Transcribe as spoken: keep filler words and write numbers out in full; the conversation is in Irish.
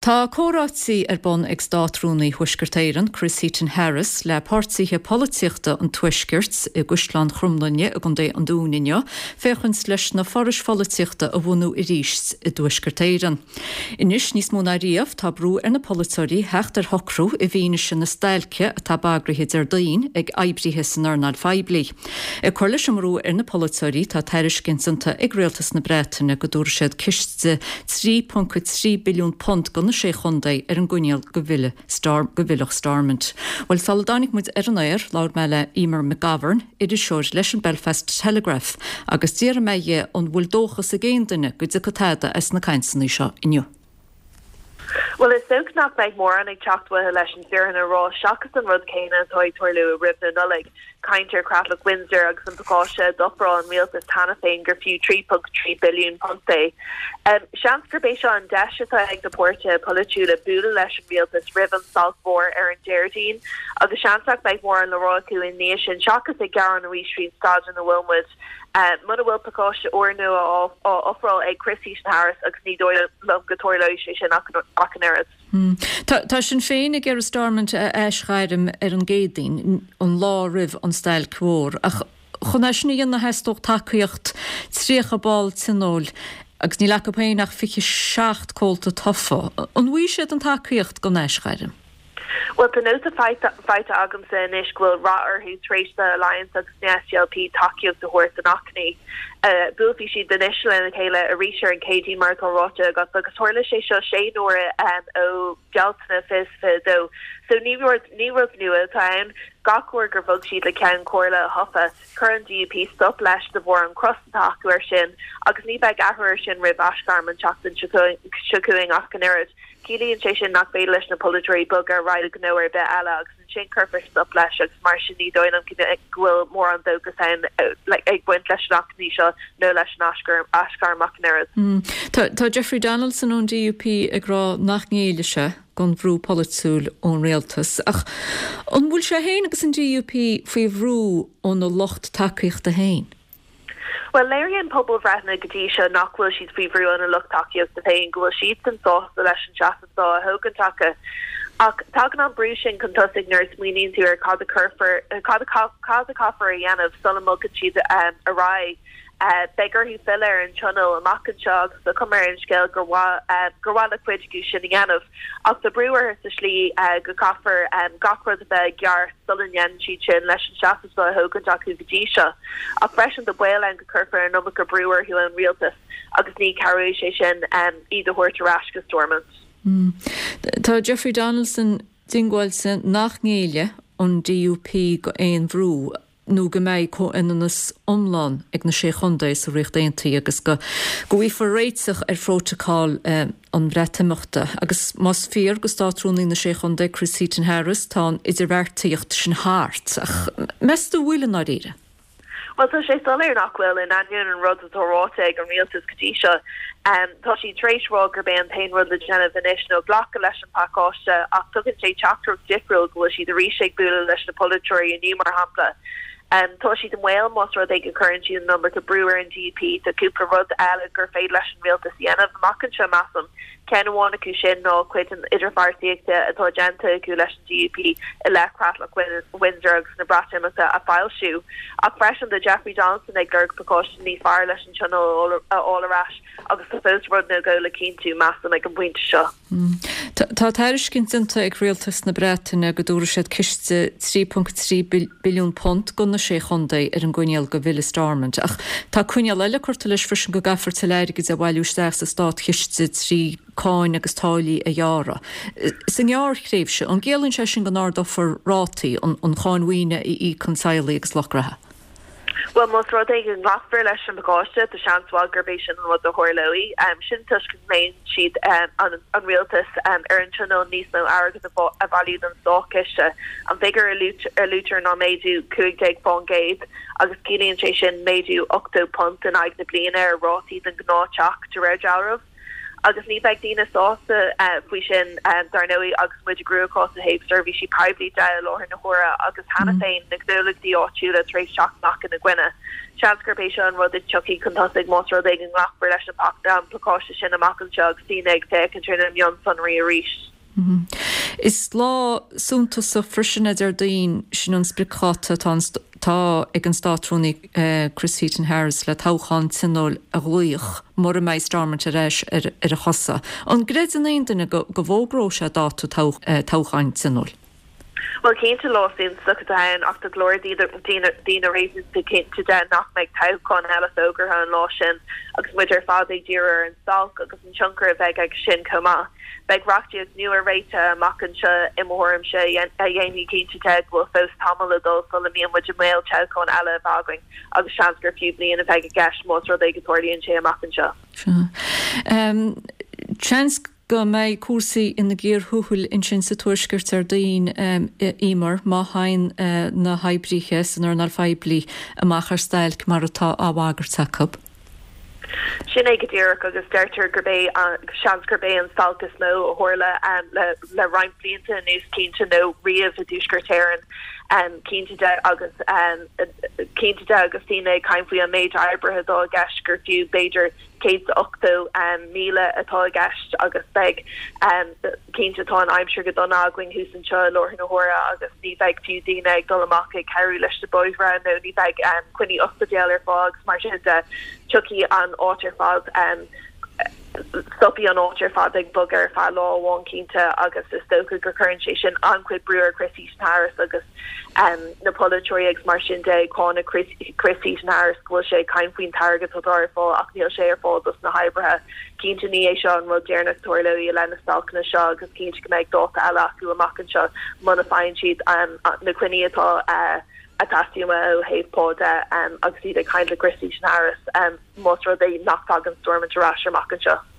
Tá comhráití ar bun ag Státrúnaí Thuaisceart Éireann, Chris Heaton-Harris, le páirtithe polaitíochta an Tuaiscirt i gCaisleán Chromghlinne i gContae an Dúin inniu, féachaint leis na forais pholaitíochta a bhunú arís i dTuaisceart Éireann. Anois níos mó ná riamh tá brú ar na polaiteoirí theacht ar shocrú i bhfianaise na stailce atá bagraithe Déardaoin ag oibrithe san earnáil phoiblí. Ag cur leis an mbrú ar na polaiteoirí tá tairiscint déanta ag Rialtas na Breataine go dtabharfaidh siad ciste trí ponc trí billiún punt do na sé chontae ar an gcoinníoll go bhfillfeadh Star go bhfillfeadh Stormont. Well sula dtáinig muid ar an aer labhair mé le Emer McGovern, iriseoir leis an Belfast Telegraph, agus d'iarr mé dhi an bhfuil dóchas ag aon duine go dtiocfaidh tada as na cainteanna seo inniu. Well is dócha nach mbeidh mórán ag teacht uathu leis an bhfírinne a rá seachas an rud céanna atá ag tarlú roimh na Nollag. Caint ar Chreatlach Windsor agus an pacáiste a d'ofráil an rialtas cheana féin gur fiú trí ponc trí billiún punt é. Um, seans gurb é seo an deis atá ag na páirtithe polaitiúla bualadh leis an rialtas roimh an stailc mhór ar an Déardaoin, agus seans nach mbeidh mórán le rá acu i ndiaidh sin seachas ag gearán arís faoin staid ina bhfuil muid. Uh, muna bhfuil pacáiste úrnua á ofráil ag Chris Heaton Harris agus ní dóigh liom go dtarlóidh sé sin ach an oiread. Hmm. Tá, tá Sinn Féin ag iarraidh Stormont a aisghairm ar an gCéadaoin an lá roimh an stailc mhór ach chun é sin a dhéanamh theastódh tacaíocht tríocha ball tionóil agus níl acu féin ach fiche seacht comhalta tofa. An bhfaighidh siad an tacaíocht don aisghairm? Well tá nóta faighte agamsa anois go bhfuil rath orthu tar éis the Alliance agus na SDLP tacaíocht a thabhairt don achainí. Uh, Buailfidh siad anois lena chéile arís ar an Chéadaoin mar atá ráite agat agus tharla sé seo sé huaire um, ó Bealtaine fiche fiche dó. So ní rud ní rud nua atá ann gach uair gur bhog siad le ceann comhairle a thoghadh, chuir an DUP stop leis de bharr an cros atá acu air sin agus ní bheidh athrú air sin roimh aisghairm an tseachtain seo chugainn ach an oiread. Ciallaíonn sé sin nach féidir leis na polaiteoirí bogadh ar aghaidh gnó ar bith eile agus ansin cuirfear stop leis agus mar sin ní dóigh liom go bhfuil mórán dóchas ann ag baint leis an achainí seo nó leis an aisghairm ach an oiread. Mm. Tá, tá Jeffrey Donaldson ón DUP ag rá nach ngéillfidh sé don bhrú polaitiúil ón rialtas ach an bhfuil sé féin agus an DUP faoi bhrú óna lucht tacaíochta féin. Well léiríonn pobalbhreitheanna go dtí seo nach bhfuil siad faoi bhrú óna lucht tacaíochta féin go bhfuil siad san sásta leis an seasamh atá á thógaint acu. Ach tagann an brú sin chun tosaigh nuair a smaoiníonn tú ar cad a cuirfear cad cad a caithfear a dhéanamh sula mbogann siad um, ar aghaidh. Uh, beidh orthu filleadh ar an tionól amach anseo agus tá cuma ar an scéal gur uh, gur mhaith le cuid acu sin a dhéanamh. Ach tá brú orthu sa slí uh, go caithfear um, gach rud a bheith ceart sula ndéanann siad sin leis an seasamh á thógaint acu go dtí seo. Ach freisin tá baol ann go cuirfear an iomarca brú orthu an rialtas agus ní chabhróidh sé sin um, iad a thabhairt ar ais go Stormont. Mm. Tá Jeffrey Donaldson diongbháilte nach ngéillfidh an DUP go aon bhrú nó go mbeidh comhionannas iomlán ag na sé chontae sa Ríocht Aontaithe agus go go bhfaighfear réiteach ar phrótacal eh, an Bhreatimeachta. agus más fíor do Státrúnaí na sé chontae Chris Heaton Harris tá an idirbheartaíocht sin thart ach meas tú an bhfuil i ndáiríre. Well tá sé soiléir nach bhfuil in ainneoin an rud atá ráite ag an rialtas go dtí seo. Um, tá sí tar éis rá gurb é an t-aon rud le déanamh anois ná glacadh leis an pacáiste ach tugann sé teachtaireacht difriúil go bhfuil siad arís ag bualadh leis na polaiteoirí inniu mar shampla. Um, tá siad i mbaol más rud é go gcuireann siad an iomarca brú ar an DUP tá cúpla rud eile gur féidir leis an rialtas a dhéanamh amach anseo measaim. Ceann amháin acu sin ná cuid den idirbheartaíocht atá déanta acu leis an DUP i leith Chreatlach Windsor agus na Breatimeachta a fhoilsiú. Ach freisin tá Jeffrey Donaldson ag lorg pacáiste níos fearr leis an tionól a fháil ar ais agus tá fós rud nó dhó le cinntiú measaim ag an bpointe seo. Mm. Tá tairiscint déanta ag rialtas na Breataine go dtabharfaidh siad ciste trí ponc trí billiún punt do na sé chontae ar an gcoinníoll go bhfillfidh Stormont. Ach tá coinníoll eile curtha leis freisin go gcaithfear tuilleadh airgid a bhailiú isteach sa státchiste trí cáin agus táillí a ghearradh. Sa ngearrthréimhse an gciallaíonn sé sin go n-ardófar rátaí an, an cháin mhaoine a íocann teaghlaigh agus lucht gnó. Well más rud é go nglacfar leis an bpacáiste tá seans mhaith gurb é sin an rud a tharlóidh. Um, sin toisc go mbíonn siad um, an, an rialtas um, ar an tionól níos mó airgid a bhailiú don státchiste. An figiúr a luaitear ná méadú cúig déag faoin gcéad agus ciallaíonn sé sin méadú ochtó punt in aghaidh na bliana ar rátaí den ghnáth-teach de réir dealraimh. Agus ní bheidh daoine sásta uh, faoi sin um, dar ndóigh agus muid i gcruachás ó thaobh seirbhísí poiblí de i láthair na huaire agus cheana mm. féin na gnólachtaí áitiúla tar éis teacht amach ina gcoinne. Seans gurb é seo an rud a tiocfaidh chun tosaigh más rud é go nglacfar leis an bpacáiste sin amach anseo agus daoine ag féachaint ar na mionsonraí arís. Is lá suntasach freisin é Déardaoin sin an spriocdháta atá ag an Státrúnaí Chris Heaton-Harris le toghchán tionóil a ghlaoch mura mbeidh Stormont ar ais ar a chosa. An gcreideann aon duine go bhfógróidh sé dáta toghcháin tionóil? Bhuel cinnte lá suntasach atá ann ach tá go leor daoine réasúnta cinnte de nach mbeidh toghchán eile fógartha an lá sin agus muid ar fad ag díriú ar an stailc agus an tionchar a bheidh aige sin chomh maith. Beidh reachtaíocht nua réitithe amach anseo i mo thuairimse a dhéanfaidh cinnte de go bhfuil fós tamall le dul sula mbíonn muid i mbaol toghchán eile a bheith againn agus seans gur fiú bliain a bheidh i gceist más rud é go dtarlaíonn sé amach anseo. Seans go mbeidh cúrsaí ina gcíor thuathail ansin sa Tuaisceart Déardaoin Eimear má théann na hoibrithe san earnáil phoiblí amach ar stailc mar atá á bhagairt acu. Sin é go díreach agus deirtear gurb é seans gurb é an stailc is mó a tharla le le roinnt blianta anuas cinnte nó riamh i dTuaisceart Éireann cinnte de agus cinnte de agus daoine ag caint faoi an méid oibrithe atá i gceist gur fiú b'fhéidir céad is ochtó míle atá i gceist agus beidh cinnte tá an aimsir go dona againn thuas anseo i láthair na huaire agus ní bheidh fiú daoine ag dul amach ag cabhrú leis na bóithre nó ní bheidh coinní ospidéal ar fáil agus mar sin de tiocfaidh an áit ar fad stopfaidh an áit ar fad ag bogadh ar feadh lá amháin cinnte agus is dócha gur cuireann sé sin an-chuid brú ar Chris Heaton-Harris agus na polaiteoirí agus mar sin de ag cáineadh Chris Heaton-Harris go bhfuil sé ag caint faoin t-airgead atá ar fáil ach níl sé ar fáil dos na hoibrithe. Cinnte ní é seo an rud deireanach a tharlóidh i leith na stailceanna seo agus cinnte go mbeidh dáta eile acu amach anseo muna bhfaigheann siad na coinní atá ag teastáil ó thaobh pá de agus iad ag caint le Chris Heaton-Harris más rud é nach dtagann Stormont ar ais amach anseo.